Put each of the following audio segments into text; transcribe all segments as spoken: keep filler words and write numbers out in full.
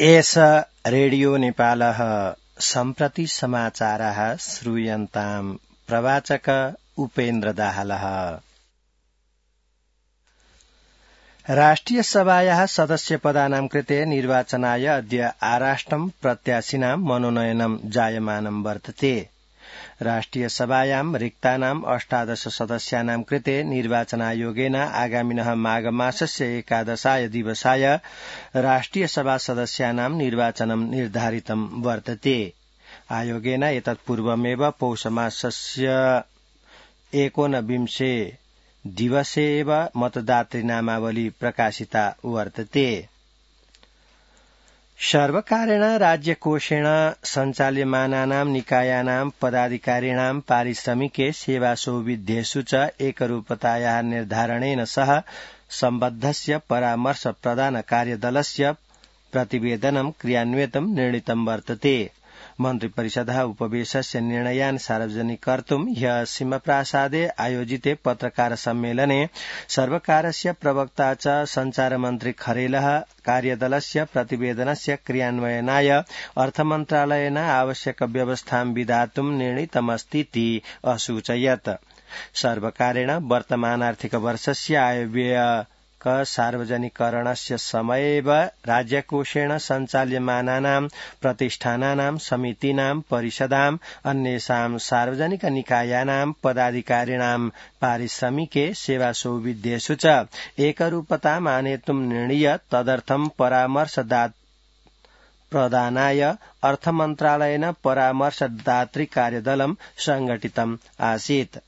एष रेडियो नेपालः सम्प्रति समाचारः श्रूयन्ताम् प्रवाचक उपेन्द्र दाहालः। राष्ट्रिय सभायाः सदस्यपदानां कृते निर्वाचनाय अद्य आराष्टं प्रत्याशिनां मनोनयनं जायमानं वर्तते। राष्ट्रिय सभायां रिक्तानाम् अष्टादश सदस्यानां कृते निर्वाचनायोगेन आगामिनः माघमासस्य एकादशाय दिवसाय राष्ट्रिय सभा सदस्यानां निर्वाचनं निर्धारितं वर्तते। आयोगेन एतत्पूर्वमेव पौषमासस्य एकोनविंशे दिवसे एव मतदातृ नामावली प्रकाशिता वर्तते। सर्वकारेण राज्यकोषेण सञ्चाल्यमानानां निकायानां पदाधिकारिणां पारिश्रमिके सेवासौविध्येषु च एकरूपतायाः निर्धारणेन सह सम्बद्धस्य परामर्श प्रदान कार्यदलस्य प्रतिवेदनं क्रियान्वितं निर्णीतं वर्तते। मन्त्रिपरिषदः उपवेशस्य निर्णयान् सार्वजनिकर्तुं ह्यः सिंहप्रासादे आयोजिते पत्रकार सम्मेलने सर्वकारस्य प्रवक्ता च सञ्चारमन्त्री खरेलः कार्यदलस्य प्रतिवेदनस्य क्रियान्वयनाय अर्थमन्त्रालयेन आवश्यक व्यवस्थां विधातुं निर्णीतमस्तीति असूचयत्। सर्वकारेण वर्तमानार्थिक वर्षस्य आयव्यय सार्वजनिकरणस्य समयेव राज्यकोषेण सञ्चाल्यमानानां प्रतिष्ठानानां समितीनां परिषदां अन्येषां सार्वजनिक निकायानां पदाधिकारिणां पारिश्रमिके सेवासौविध्येषु च एकरूपताम् आनेतुं निर्णीय तदर्थं परामर्शदात प्रदानाय अर्थमन्त्रालयेन परामर्शदातृ कार्यदलं संघटितम् आसीत्।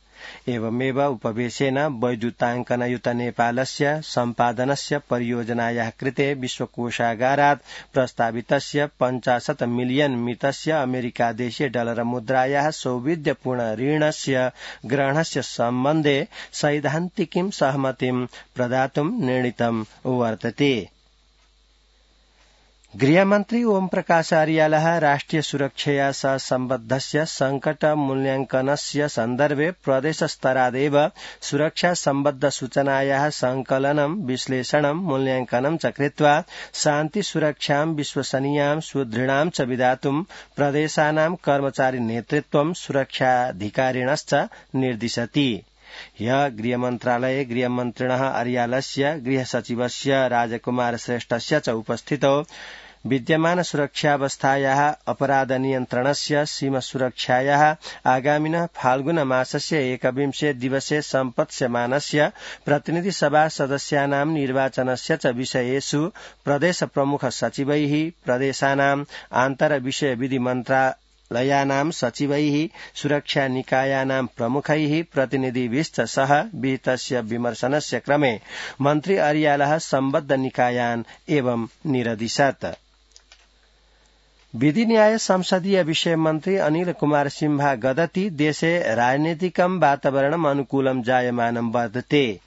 एवमेव उपवेशेन वैद्युताङ्कनयुत नेपालस्य सम्पादनस्य परियोजनायाः कृते विश्वकोषागारात् प्रस्तावितस्य पञ्चाशत् मिलियन मितस्य अमेरिकादेशीय डलर मुद्रायाः सौविध्यपूर्ण ऋणस्य ग्रहणस्य सम्बन्धे सैद्धान्तिकीं सहमतिं प्रदातुं निर्णीतं वर्तते। गृहमन्त्री ओम प्रकाश अर्यालः राष्ट्रिय सुरक्षया सह सम्बद्धस्य संकट मूल्याङ्कनस्य सन्दर्भे प्रदेशस्तरादेव सुरक्षा सम्बद्ध सूचनायाः संकलनं विश्लेषणं मूल्याङ्कनं च कृत्वा शान्ति सुरक्षां विश्वसनीयां सुदृढां च विधातुं प्रदेशानां कर्मचारी नेतृत्वं सुरक्षाधिकारिणश्च निर्दिशति। ह्यः गृहमन्त्रालये गृहमन्त्रिणः अर्यालस्य गृहसचिवस्य राजकुमार श्रेष्ठस्य च उपस्थितौ विद्यमान सुरक्षावस्थायाः अपराध नियन्त्रणस्य सीमा सुरक्षायाः आगामिनः फाल्गुन मासस्य एकविंशे दिवसे सम्पत्स्यमानस्य प्रतिनिधि सभा सदस्यानां निर्वाचनस्य च विषयेषु प्रदेश प्रमुख सचिवैः प्रदेशानां आन्तर विषय विधि मन्त्रालयानां सचिवैः सुरक्षा निकायानां प्रमुखैः प्रतिनिधिभिश्च सह विहितस्य विमर्शनस्य क्रमे मन्त्री अर्यालः सम्बद्ध निकायान् एवं निरदिशत्। विधि न्याय संसदीय विषय मन्त्री अनिल कुमार सिंह गदति देशे राजनीतिकं वातावरणम् अनुकूलं जायमानं वर्तते।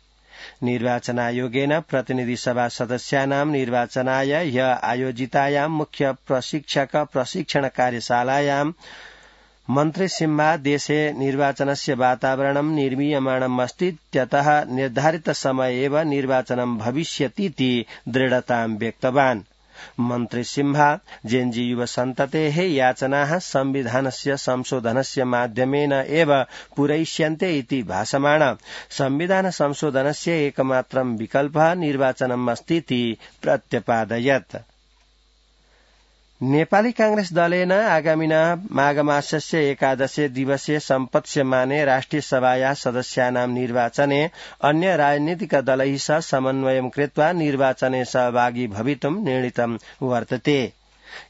निर्वाचनायोगेन प्रतिनिधि सभा सदस्यानां निर्वाचनाय ह्यः आयोजितायां मुख्य प्रशिक्षक प्रशिक्षण कार्यशालायां मन्त्री सिंह देशे निर्वाचनस्य वातावरणं निर्मीयमाणम् अस्ति, त्यतः निर्धारित समय एव निर्वाचनं भविष्यतीति दृढतां व्यक्तवान्। मन्त्री सिंह जेएनजी युव सन्ततेः याचनाः संविधानस्य संशोधनस्य माध्यमेन एव पूरयिष्यन्ते इति भाषमाण संविधान संशोधनस्य एकमात्रं विकल्पः निर्वाचनम् अस्तीति प्रत्यपादयत्। नेपाली कांग्रेस दलेन आगामिनः माघमासस्य एकादशे दिवसे सम्पत्स्यमाने राष्ट्रिय सभायाः सदस्यानां निर्वाचने अन्य राजनीतिक दलैः सह समन्वयं कृत्वा निर्वाचने सहभागी भवितुं निर्णीतं वर्तते।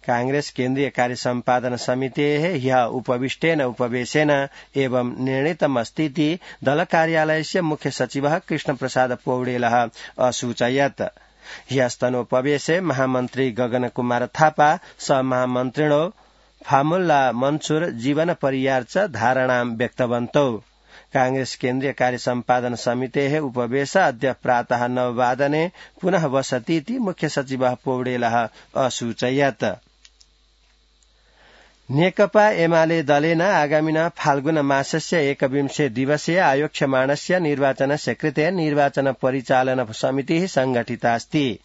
कांग्रेस केन्द्रीय कार्य सम्पादन समितेः ह्यः उपविष्टेन उपवेशेन एवं निर्णीतमस्तीति दल कार्यालयस्य मुख्य सचिवः कृष्णप्रसाद पौडेलः असूचयत्। ह्यस्तनोपवेशे महामन्त्री गगन कुमार थापा सहमहामन्त्रिणो फामुल्ला मन्सूर जीवन परियार च धारणां व्यक्तवन्तौ। कांग्रेस केन्द्रीय कार्य सम्पादन समितेः उपवेश अद्य प्रातः नववादने पुनः वसतीति मुख्य सचिवः पौडेलः असूचयत्। नेकपा एमाले दलेन आगामिनः फाल्गुन मासस्य एकविंशे दिवसे आयोक्ष्यमाणस्य निर्वाचनस्य कृते निर्वाचन परिचालन समितिः संघटिता अस्ति।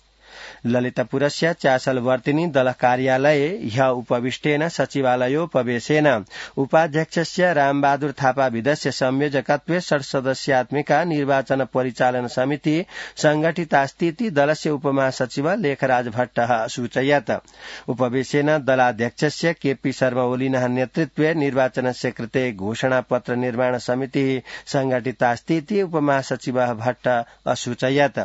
ललितपुरस्य चासलवर्तिनी दल कार्यालये ह्य उपविष्टेन सचिवालयोपवेशेन उपाध्यक्षस्य रामबहादुर थापा विदस्य संयोजकत्वे षट्सदस्यात्मिका निर्वाचन परिचालन समिति संगठितास्तीति दलस्य उपमहासचिव लेखराज भट्टः सूचयत्। उपवेशेन दलाध्यक्षस्य केपी शर्मा ओलिनः नेतृत्वे निर्वाचनस्य कृते घोषणापत्र निर्माण समितिः संगठितास्तीति उपमहासचिवः भट्ट असूचयत्।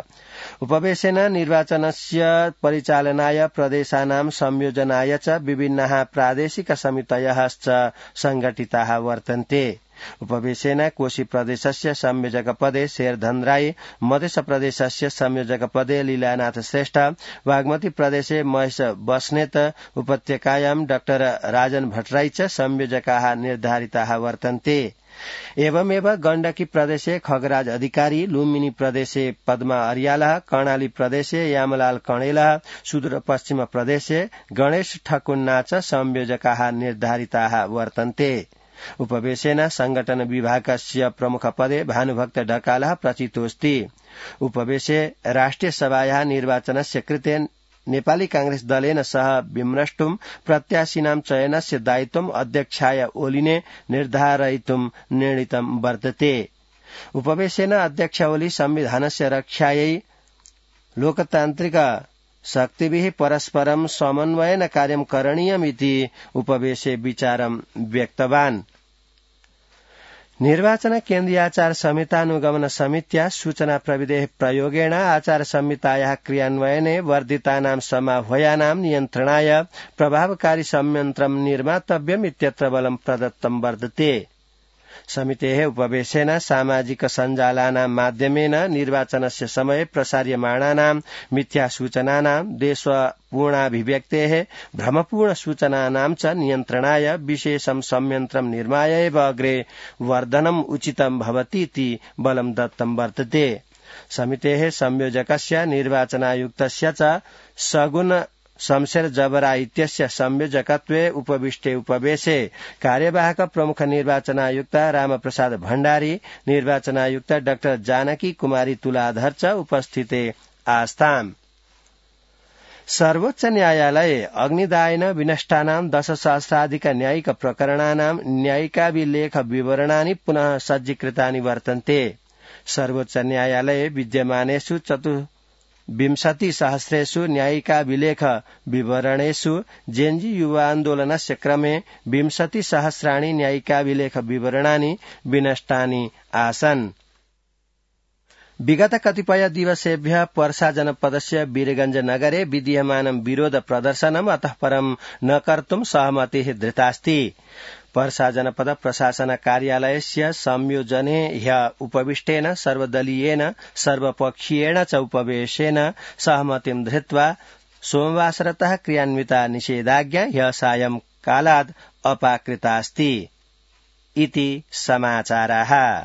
उपवेशेन निर्वाचनस्य परिचालनाय प्रदेशानां संयोजनाय च विभिन्नाः प्रादेशिक समितयः च संगठिताः वर्तन्ते। उपवेशेन कोशी प्रदेशस्य संयोजकपदे शेरधन राई, मध्य प्रदेशस्य संयोजकपदे लीलानाथ श्रेष्ठ, बागमती प्रदेशे महेश बस्नेत, उपत्यकायां डाक्टर राजन भट्टराई च संयोजकाः निर्धारिताः वर्तन्ते। एवमेव गण्डकी प्रदेशे खगराज अधिकारी, लुम्बिनी प्रदेशे पद्मा अर्यालः, कर्णाली प्रदेशे यामलाल कणेलः, सुदूरपश्चिम प्रदेशे गणेश ठकुन्ना च संयोजकाः निर्धारिताः वर्तन्ते। उपवेशेन संगठन विभागस्य प्रमुखपदे भानुभक्त ढकालः प्रचितोऽस्ति। उपवेशे राष्ट्रिय सभायाः निर्वाचनस्य कृते नेपाली कांग्रेस दलेन सह विम्रष्टुम प्रत्याशिनां चयनस्य दायित्वम् अध्यक्षाय ओलिने निर्धारयितुं निर्णीतं वर्तते। उपवेशेन अध्यक्ष ओली संविधानस्य रक्षायै लोकतान्त्रिक शक्तिभिः परस्परं समन्वयेन कार्यं करणीयमिति उपवेशे विचारं व्यक्तवान्। निर्वाचन केन्द्रीयाचार संहितानुगमन समित्या सूचना प्रविधेः प्रयोगेण आचार संहितायाः क्रियान्वयने वर्धितानां समाह्वयानां नियन्त्रणाय प्रभावकारी संयन्त्रं निर्मातव्यम् इत्यत्र बलं प्रदत्तं वर्तते। समितेः उपवेशेन सामाजिक सञ्जालानां माध्यमेन निर्वाचनस्य समये प्रसार्यमाणानां मिथ्या सूचनानां देशपूर्णाभिव्यक्तेः भ्रमपूर्ण सूचनानां च नियन्त्रणाय विशेषं संयन्त्रं निर्माय एव अग्रे वर्धनम् उचितं भवतीति बलं दत्तं वर्तते। समितेः संयोजकस्य निर्वाचनायुक्तस्य च सगुण शमशेर जबरा इत्यस्य संयोजकत्वे उपविष्टे उपवेशे कार्यवाहक प्रमुख निर्वाचनायुक्त रामप्रसाद भण्डारी, निर्वाचनायुक्त डाक्टर जानकी कुमारी तुलाधर च उपस्थिते आस्ताम्। सर्वोच्च न्यायालये अग्निदायेन विनष्टानां दशसहस्राधिक न्यायिक प्रकरणानां न्यायिकाभिलेख विवरणानि पुनः सज्जीकृतानि वर्तन्ते। सर्वोच्च न्यायालये विद्यमानेषु चतु विंशति सहस्रेषु न्यायिकाभिलेख विवरणेषु जेएनजी युवान्दोलनस्य क्रमे विंशति सहस्राणि न्यायिकाभिलेख विवरणानि विनष्टानि आसन्। विगत कतिपय दिवसेभ्यः पर्सा जनपदस्य वीरगंज नगरे विद्यमानं विरोध प्रदर्शनम् अतः परं न कर्तुं सहमतिः धृतास्ति। पर्सा जनपद प्रशासन कार्यालयस्य संयोजने ह्य उपविष्टेन सर्वदलीयेन सर्वपक्षीयेण च उपवेशेन सहमतिं धृत्वा सोमवासरतः क्रियान्विता निषेधाज्ञा ह्य सायं कालात् अपाकृतास्ति इति समाचाराः।